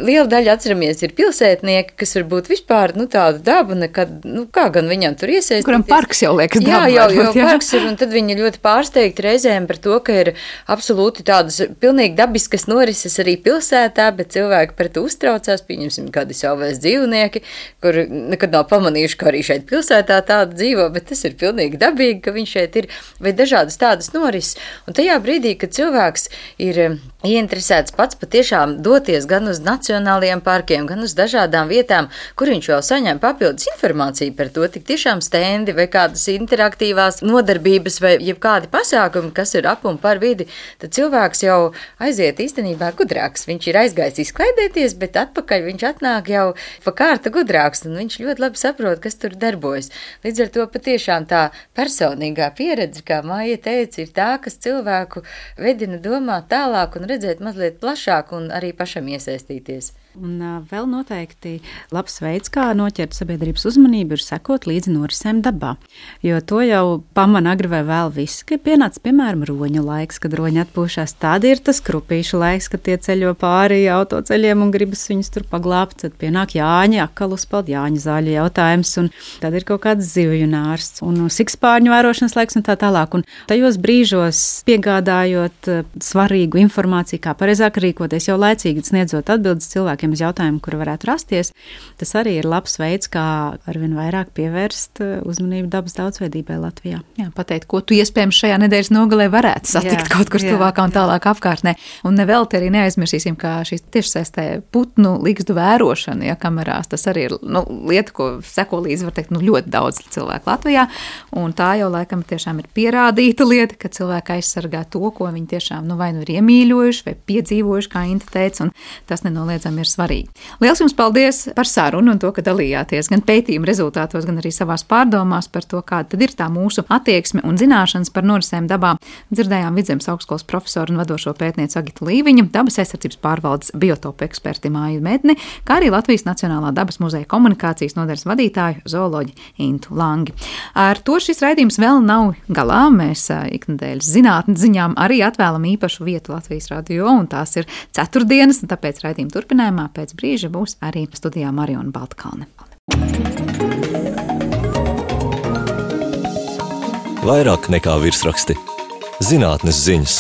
D: Liela daļa atceramies ir pilsētnieki, kas varbūt vispār tādu dabu nekad, kā gan viņam tur iesaistīties.
B: Parks jau liekas dabā.
D: Jā, parks ir, un tad viņi ļoti pārsteigti reizēm par to, ka ir absolūti tādas pilnīgi dabiskas norises arī pilsētā, bet cilvēki par to uztraucās, pieņemsim kādi savvaļas dzīvnieki, kur nekad nav pamanījuši, ka arī šeit pilsētā tāda dzīvo, bet tas ir pilnīgi dabīgi, ka viņš šeit ir, vai dažādas tādas norises. Un tajā brīdī, kad cilvēks ir ieinteresēts pats patiešām doties gan uz nacionālajiem parkiem, gan uz dažādām vietām, kur viņš vēl saņem papildus informāciju par to, tik tiešām stendi vai kādas interaktīvās nodarbības vai jebkādi pasākumi, kas ir ap un par vidi, tad cilvēks jau aiziet īstenībā gudrāks. Viņš ir aizgājis izklaidēties, bet atpakaļ viņš atnāk jau pa kārta gudrāks, un viņš ļoti labi saprot, kas tur darbojas. Līdz ar to patiešām tā personīgā pieredze, kā Maija teica, ir tā, kas cilvēku vedina domāt tālāk un redzēt mazliet plašāk un arī pašam iesaistīties.
E: Un vēl noteikti labs veids, kā noķert sabiedrības uzmanību, ir sekot līdzi norisēm dabā. Jo to jau pamana agri vai vēl visi, ka pienāca, piemēram, roņu laiks, kad roņi atpūšās. Tad ir tas krupīšu laiks, kad tie ceļo pāri autoceļiem un gribas viņus tur paglābt. Tad pienāk Jāņi, akal uzpeld Jāņa zāļu jautājums, un tad ir kaut kāds zivju nārsts un sikspārņu vērošanas laiks un tā tālāk. Un tajos brīžos piegādājot svarīgu informāciju, kā pareizāk rīkoties, jau laicīgi sniedzot atbildes cilvēkiem uz jautājumu, kuri varētu rasties, tas arī ir labs veids, kā arvien vairāk pievērst uzmanību dabas daudzveidībai Latvijā.
B: Jā, pateikt, ko tu iespējams šajā nedēļas nogalē varētu satikt kaut kur tuvākā un tālāk apkārtnē. Un nevelti arī neaizmirsīsim, kā šīs tiešsaistē putnu ligzdu vērošana, kamerās, tas arī ir lieta, ko seko līdzi, var teikt, ļoti daudz cilvēku Latvijā, un tā jau laikam tiešām ir pierādīta lieta, ka cilvēki aizsargā to, ko viņi tiešām vai nu ir iemīļojuši vai piedzīvojuši, kā Inta teica, un tas nenoliedzami ir svarīgi. Liels jums paldies par sarunu un to, ka dalījāties gan pētījuma rezultātos, gan arī savās pārdomās par to, kāda tad ir tā mūsu attieksme un zināšanas par norisēm dabā. Dzirdējām Vidzemes augstskolas profesoru un vadošo pētnieci Agitu Līviņu, dabas aizsardzības pārvaldes biotopu eksperti Māju Medni, kā arī Latvijas Nacionālā dabas muzeja komunikācijas nodaļas vadītāju zooloģi Intu Langi. Ar to šis raidījums vēl nav galā. Mēs iknedēļas zinātnes ziņām arī atvēlam īpašu vietu Latvijas radio, un tās ir ceturtdienas, un tāpēc raidījuma turpinājumā pēc brīža būs arī studijā Mariona Baltkalne.
A: Vairāk nekā virsraksti. Zinātnes ziņas.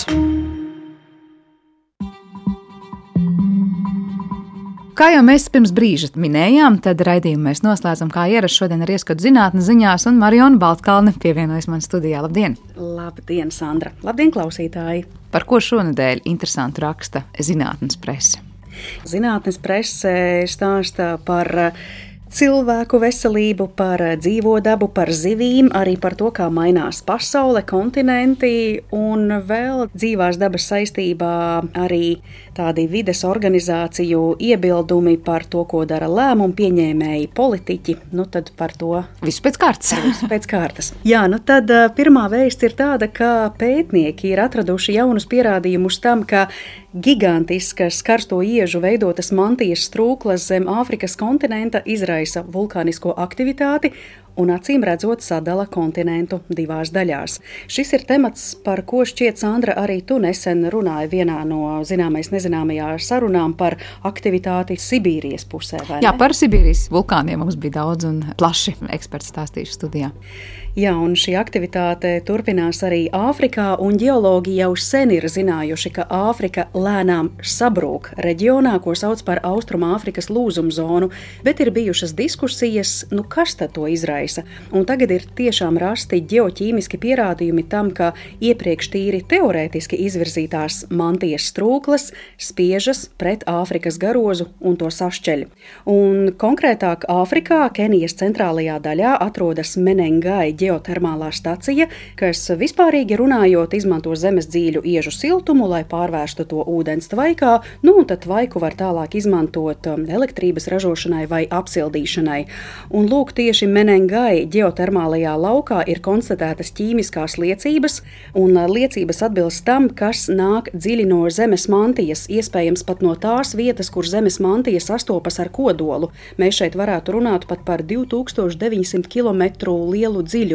B: Kā jau mēs pirms brīža minējām, tad raidījumu mēs noslēdzam kā ierasts šodien ar ieskatu zinātnes ziņās, un Mariona Baltkalne pievienojas man studijā. Labdien!
F: Labdien, Sandra! Labdien, klausītāji!
B: Par ko šonedēļ interesantu raksta zinātnes prese?
F: Zinātnes prese stāsta par cilvēku veselību, par dzīvo dabu, par zivīm, arī par to, kā mainās pasaule, kontinenti un vēl dzīvās dabas saistībā arī tādi vides organizāciju iebildumi par to, ko dara lēmumu pieņēmēji politiķi. Tad par to
B: visu pēc kārtas.
F: Visu pēc kārtas. Jā, tad pirmā vēsts ir tāda, ka pētnieki ir atraduši jaunus pierādījumus tam, ka gigantiskas karsto iežu veidotas mantijas strūklas zem Āfrikas kontinenta izraisa vulkānisko aktivitāti un acīm redzot sadala kontinentu divās daļās. Šis ir temats, par ko šķiet, Sandra, arī tu nesen runāji vienā no zināmais nezināmajā sarunām par aktivitāti Sibīrijas pusē, vai ne?
B: Jā, par Sibīrijas vulkāniem mums bija daudz un plaši eksperti stāstījuši studijā.
F: Jā, un šī aktivitāte turpinās arī Āfrikā, un ģeologi jau sen ir zinājuši, ka Āfrika lēnām sabrūk reģionā, ko sauc par Austrumāfrikas lūzumzonu, bet ir bijušas diskusijas, kas tad to izraisa. Un tagad ir tiešām rasti ģeoķīmiski pierādījumi tam, ka iepriekš tīri teorētiski izvirzītās mantijas strūklas spiežas pret Āfrikas garozu un to sašķeļ. Un konkrētāk Āfrikā, Kenijas centrālajā daļā, atrodas Menengai ģeotermālā stacija, kas vispārīgi runājot izmanto zemes dzīļu iežu siltumu, lai pārvērstu to ūdens tvaikā, un tad tvaiku var tālāk izmantot elektrības ražošanai vai apsildīšanai. Un lūk, tieši Menengai ģeotermālajā laukā ir konstatētas ķīmiskās liecības, un liecības atbilst tam, kas nāk dziļi no zemes mantijas, iespējams pat no tās vietas, kur zemes mantija sastopas ar kodolu. Mēs šeit varētu runāt pat par 2900 km lielu dziļumu.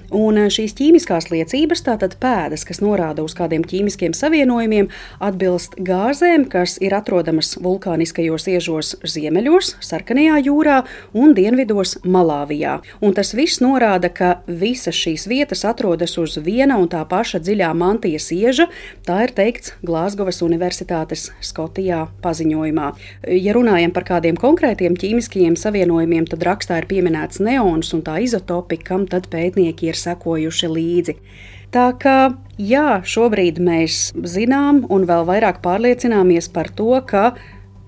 F: Un šīs ķīmiskās liecības, tātad pēdas, kas norāda uz kādiem ķīmiskiem savienojumiem, atbilst gāzēm, kas ir atrodamas vulkāniskajos iežos ziemeļos, Sarkanajā jūrā un dienvidos Malāvijā. Un tas viss norāda, ka visas šīs vietas atrodas uz viena un tā paša dziļā mantijas ieža, tā ir teikts Glāzgovas Universitātes Skotijā paziņojumā. Ja runājam par kādiem konkrētiem ķīmiskajiem savienojumiem, tad rakstā ir pieminēts neons un tā izotopi, kam tad pētnieki ir sekojuši līdzi. Tā kā, jā, šobrīd mēs zinām un vēl vairāk pārliecināmies par to, ka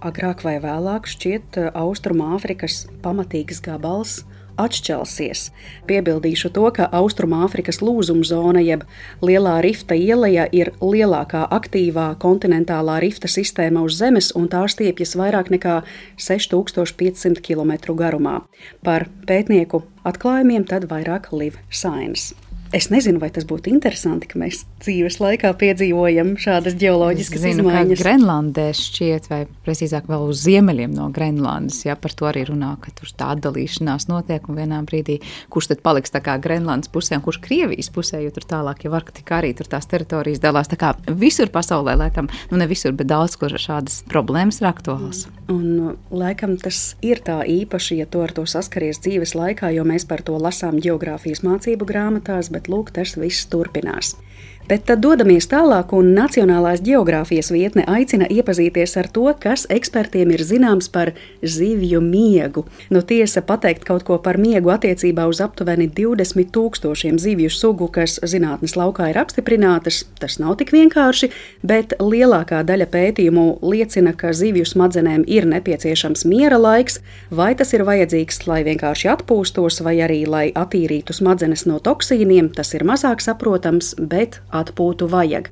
F: agrāk vai vēlāk šķiet Austrumāfrikas pamatīgs gabals atšķelsies. Piebildīšu to, ka Austrumāfrikas lūzumzona jeb Lielā rifta ieleja ir lielākā aktīvā kontinentālā rifta sistēma uz Zemes, un tā stiepjas vairāk nekā 6500 km garumā. Par pētnieku atklājumiem tad vairāk Liv Sains. Es nezinu, vai tas būtu interesanti, ka mēs dzīves laikā piedzīvojam šādas ģeoloģiskas izmaiņas.
B: Kā Grenlandē šķiet, vai precīzāk vēl uz ziemeļiem no Grenlandes, ja par to arī runā, ka tur tā atdalīšanās notiek, un vienā brīdī, kurš tad paliks tā kā Grenlandes pusē, un kurš Krievijas pusē, jo tur tālāk jau Arktika arī tur tās teritorijas dalās. Tā kā visur pasaulē, laikam, ne visur, bet daudz, kur šādas problēmas ir aktuāls.
F: Un laikam tas ir tā īpaši, ja tu ar to saskaries dzīves laikā, jo mēs par to lasām ģeogrāfijas mācību grāmatās, bet lūk, tas viss turpinās. Bet tad dodamies tālāk, un Nacionālās ģeogrāfijas vietne aicina iepazīties ar to, kas ekspertiem ir zināms par zivju miegu. Nu, tiesa, pateikt kaut ko par miegu attiecībā uz aptuveni 20 000 zivju sugu, kas zinātnes laukā ir apstiprinātas, tas nav tik vienkārši, bet lielākā daļa pētījumu liecina, ka zivju smadzenēm ir nepieciešams miera laiks, vai tas ir vajadzīgs, lai vienkārši atpūstos, vai arī, lai attīrītu smadzenes no toksīniem, tas ir mazāk saprotams, bet atpūtu vajag.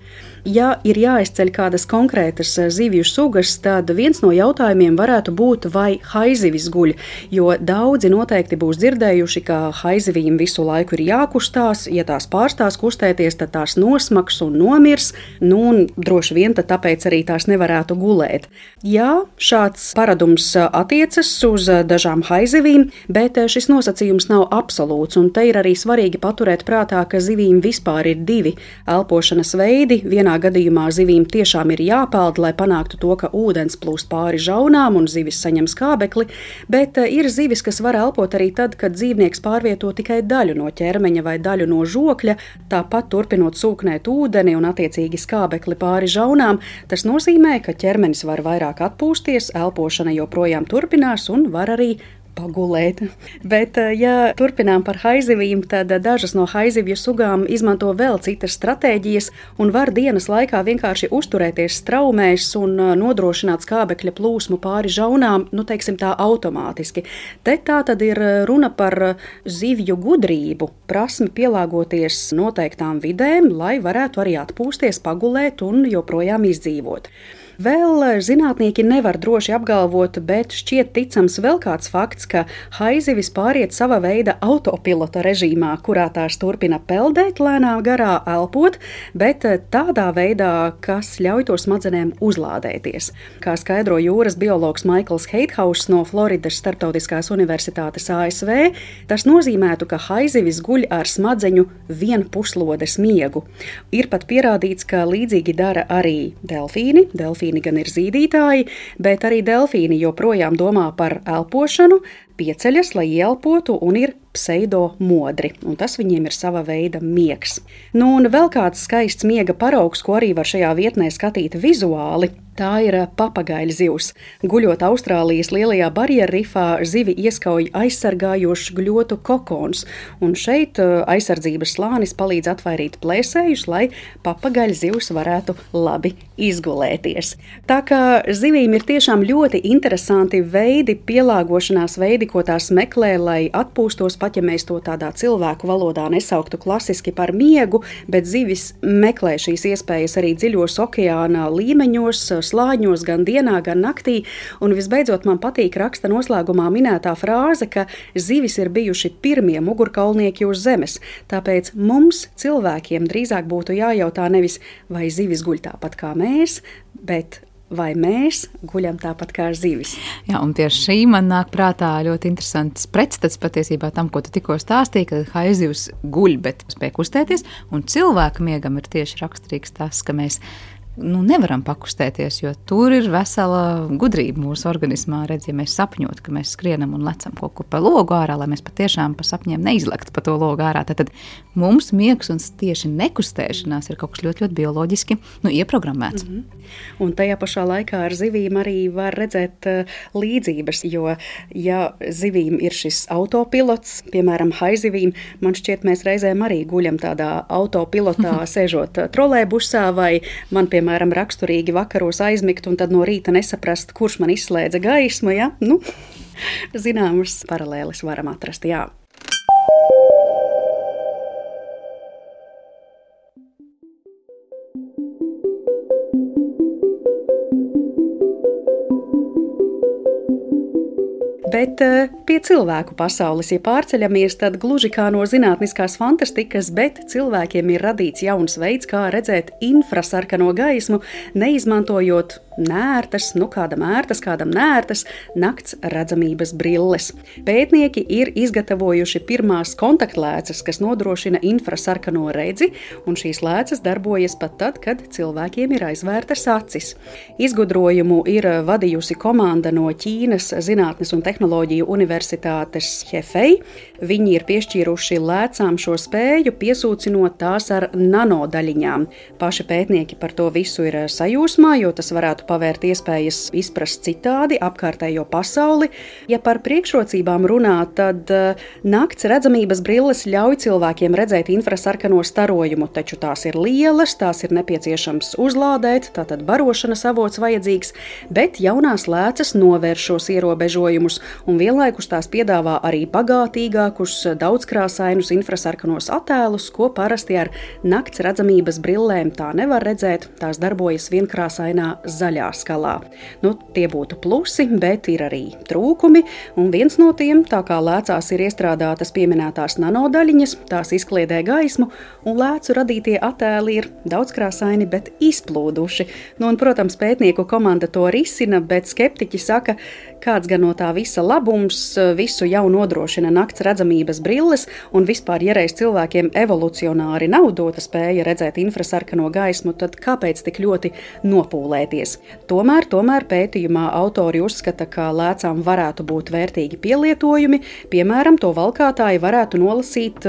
F: Ja ir jāizceļ kādas konkrētas zivju sugas, tad viens no jautājumiem varētu būt, vai haizivis guļ, jo daudzi noteikti būs dzirdējuši, ka haizivīm visu laiku ir jākustās, ja tās pārstās kustēties, tad tās nosmaks un nomirs, un droši vien tad tāpēc arī tās nevarētu gulēt. Jā, šāds paradums attiecas uz dažām haizivīm, bet šis nosacījums nav absolūts, un te ir arī svarīgi paturēt prātā, ka zivīm vispār ir divi elpošanas veidi. Vienā gadījumā zivīm tiešām ir jāpeld, lai panāktu to, ka ūdens plūst pāri žaunām un zivis saņem skābekli, bet ir zivis, kas var elpot arī tad, kad dzīvnieks pārvieto tikai daļu no ķermeņa vai daļu no žokļa, tāpat turpinot sūknēt ūdeni un attiecīgi skābekli pāri žaunām. Tas nozīmē, ka ķermenis var vairāk atpūsties, elpošana joprojām turpinās un var arī pagulēt. Bet, ja turpinām par haizivīm, tad dažas no haizivju sugām izmanto vēl citas stratēģijas un var dienas laikā vienkārši uzturēties straumēs un nodrošināt skābekļa plūsmu pāri žaunām, teiksim tā automātiski. Te tā tad ir runa par zivju gudrību, prasmi pielāgoties noteiktām vidēm, lai varētu arī atpūsties, pagulēt un joprojām izdzīvot. Vēl zinātnieki nevar droši apgalvot, bet šķiet ticams vēl kāds fakts, ka haizivis pāriet sava veida autopilota režīmā, kurā tās turpina peldēt lēnā garā, elpot, bet tādā veidā, kas ļauj to smadzenēm uzlādēties. Kā skaidro jūras biologs Maikls Heithauss no Floridas Starptautiskās universitātes ASV, tas nozīmētu, ka haizivis guļ ar smadzeņu vienpuslodes miegu. Ir pat pierādīts, ka līdzīgi dara arī delfīni. Delfīni gan ir zīdītāji, bet arī delfīni joprojām domā par elpošanu, pieceļas, lai ielpotu, un ir pseidomodri, un tas viņiem ir sava veida miegs. Un vēl kāds skaists miega paraugs, ko arī var šajā vietnē skatīt vizuāli, tā ir papagaļa zivs. Guļot Austrālijas lielajā barjeru rifā, zivi ieskauj aizsargājošs gļotu kokons, un šeit aizsardzības slānis palīdz atvairīt plēsējus, lai papagaļa zivs varētu labi izgulēties. Tā kā zivīm ir tiešām ļoti interesanti veidi, pielāgošanās veidi, ko tās meklē, lai atpūstos, pat ja mēs to tādā cilvēku valodā nesauktu klasiski par miegu, bet zivis meklē šīs iespējas arī dziļos okeāna līmeņos, slāņos, gan dienā, gan naktī, un visbeidzot man patīk raksta noslēgumā minētā frāze, ka zivis ir bijuši pirmie mugurkaulnieki uz zemes, tāpēc mums, cilvēkiem, drīzāk būtu jājautā nevis, vai zivis guļ tāpat kā mēs, bet vai mēs guļam tāpat kā zivis.
B: Jā, un tieši šī man nāk prātā ļoti interesants pretstats patiesībā tam, ko tu tikko stāstīji, ka haizivs guļ, bet spēj kustēties, un cilvēka miegam ir tieši raksturīgs tas, ka mēs nevaram pakustēties, jo tur ir vesela gudrība mūsu organismā. Redz, ja mēs sapņot, ka mēs skrienam un lecam kaut kur pa logu ārā, lai mēs patiešām pa sapņiem neizlektu pa to logu ārā, tad mums miegs un tieši nekustēšanās ir kaut kas ļoti, ļoti bioloģiski ieprogrammēts.
F: Un tajā pašā laikā ar zivīm arī var redzēt līdzības, jo ja zivīm ir šis autopilots, piemēram, haizivīm, man šķiet, mēs reizēm arī guļam tādā autopilotā, sēžot trolēbusā, vai man, piemēram, raksturīgi vakaros aizmigt un tad no rīta nesaprast, kurš man izslēdza gaismu, ja? Zināmas paralēles varam atrast, jā. Bet pie cilvēku pasaules, ja pārceļamies, tad gluži kā no zinātniskās fantastikas, bet cilvēkiem ir radīts jauns veids, kā redzēt infrasarkano gaismu, neizmantojot nērtas, kādam ērtas, kādam nērtas nakts redzamības brilles. Pētnieki ir izgatavojuši pirmās kontaktlēcas, kas nodrošina infrasarkano redzi, un šīs lēcas darbojas pat tad, kad cilvēkiem ir aizvērtas acis. Izgudrojumu ir vadījusi komanda no Ķīnas Zinātnes un tehnoloģiju universitātes Hefei. Viņi ir piešķīruši lēcām šo spēju, piesūcinot tās ar nanodaļiņām. Paši pētnieki par to visu ir sajūsmā, jo tas varētu pavērt iespējas izprast citādi apkārtējo pasauli. Ja par priekšrocībām runā, tad nakts redzamības brilles ļauj cilvēkiem redzēt infrasarkano starojumu, taču tās ir lielas, tās ir nepieciešams uzlādēt, tātad barošanas avots vajadzīgs, bet jaunās lēcas novērš šos ierobežojumus un vienlaikus tās piedāvā arī bagātīgākus, daudzkrāsainus infrasarkanos attēlus, ko parasti ar nakts redzamības brillēm tā nevar redzēt, tās darbojas vienkrāsainā zaļā skalā. Tie būtu plusi, bet ir arī trūkumi, un viens no tiem, tā kā lēcās ir iestrādātas pieminētās nanodaļiņas, tās izkliedē gaismu, un lēcu radītie attēli ir daudzkrāsaini, bet izplūduši. Un, protams, pētnieku komanda to risina, bet skeptiķi saka, kāds gan no tā visa labums, visu jau nodrošina nakts redzamības brilles, un vispār, ja reiz cilvēkiem evolucionāri nav dota spēja redzēt infrasarkano gaismu, tad kāpēc tik ļoti nopūlēties? Tomēr pētījumā autori uzskata, ka lēcām varētu būt vērtīgi pielietojumi, piemēram, to valkātāji varētu nolasīt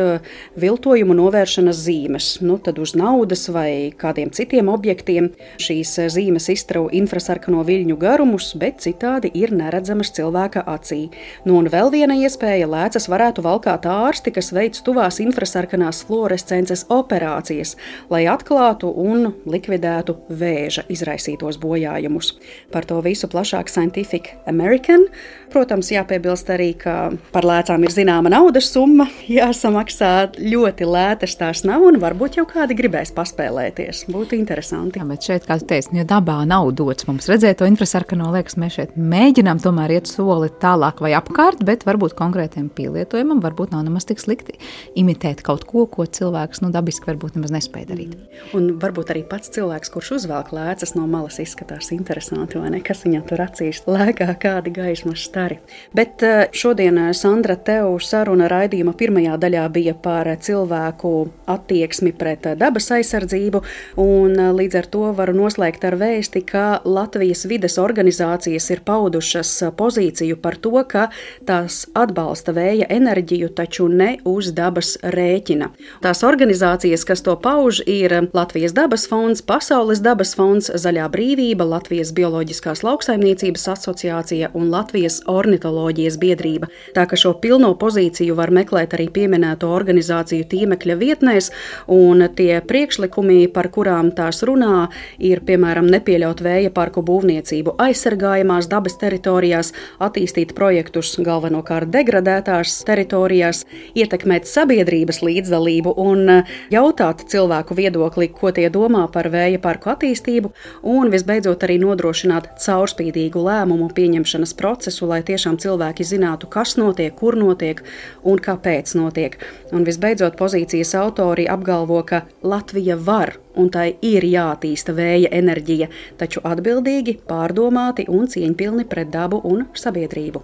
F: viltojumu novēršanas zīmes, tad uz naudas vai kādiem citiem objektiem. Šīs zīmes izstrauj infrasarkano viļņu garumus, bet citādi ir neredzamas cilvēka acī. Un vēl viena iespēja, lēcas varētu valkāt ārsti, kas veic tuvās infrasarkanās fluorescences operācijas, lai atklātu un likvidētu vēža izraisītos bojājumus. Par to visu plašāk Scientific American. Protams, jāpiebilst arī, ka par lēcām ir zināma naudas summa, jāsamaksā, ļoti lētas tās nav, un varbūt jau kādi gribēs paspēlēties. Būtu interesanti.
B: Jā, bet šeit, kā tu teici, jo dabā nav dots mums redzēt to infrasarkano, liekas, mēs šeit mēģinām tomēr iet soli tālāk vai apkārt, bet varbūt konkrētiem pielietojumam varbūt nav nemaz tik slikti imitēt kaut ko, ko cilvēks dabiski varbūt nemaz nespēja darīt.
F: Un varbūt arī pats cilvēks, kurš uzvelk lēcas no malas, izskatās interesanti, vai ne? Kas viņam tur acīs lēkā, kādi gaismas stari. Bet šodien, Sandra, tev saruna raidījuma pirmajā daļā bija par cilvēku attieksmi pret dabas aizsardzību, un līdz ar to varu noslēgt ar vēsti, ka Latvijas vides organizācijas ir paudušas pozīciju par to, ka tās atbalsta vēja enerģiju, taču ne uz dabas rēķina. Tās organizācijas, kas to pauž, ir Latvijas dabas fonds, Pasaules dabas fonds, Zaļā brīvība, Latvijas bioloģiskās lauksaimniecības asociācija un Latvijas ornitoloģijas biedrība. Tā ka šo pilno pozīciju var meklēt arī pieminēto organizāciju tīmekļa vietnēs, un tie priekšlikumi, par kurām tās runā, ir, piemēram, nepieļaut vēja parku būvniecību aizsargājamās dabas teritorijās, attīstīt projektus galvenokārt degradētās teritorijās, ietekmēt sabiedrības līdzdalību un jautāt cilvēku viedokli, ko tie domā par vēja parku attīstību, un visbeidzot arī nodrošināt caurspīdīgu lēmumu pieņemšanas procesu, lai tiešām cilvēki zinātu, kas notiek, kur notiek un kāpēc notiek. Un visbeidzot pozīcijas autori apgalvo, ka Latvija var un tai ir jātīsta vēja enerģija, taču atbildīgi, pārdomāti un cieņpilni pret dabu un sabiedrību.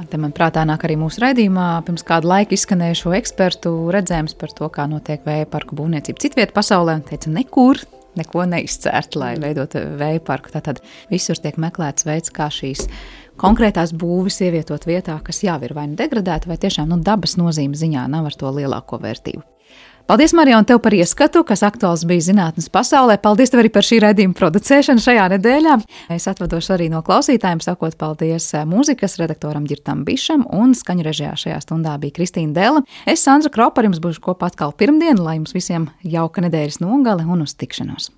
B: Te man prātā nāk arī mūsu raidījumā pirms kādu laiku izskanējušo ekspertu redzējums par to, kā notiek vēja parku būvniecība citviet pasaulē, un teica, neko neizcērt, lai veidot vēja parku. Tātad visur tiek meklēts veids, kā šīs konkrētās būvis ievietot vietā, kas jau ir vai nu degradēta, vai tiešām dabas nozīmes ziņā nav ar to lielāko vērtību. Paldies, Marija, un tev par ieskatu, kas aktuāls bija zinātnes pasaulē. Paldies tev arī par šī raidījuma producēšanu šajā nedēļā. Es atvadošu arī no klausītājiem, sakot paldies mūzikas redaktoram Ģirtam Bišam, un skaņu režijā šajā stundā bija Kristīna Dēla. Es, Sandra Kropa, ar jums būšu kopā atkal pirmdien, lai jums visiem jauka nedēļas nogale un uz tikšanos.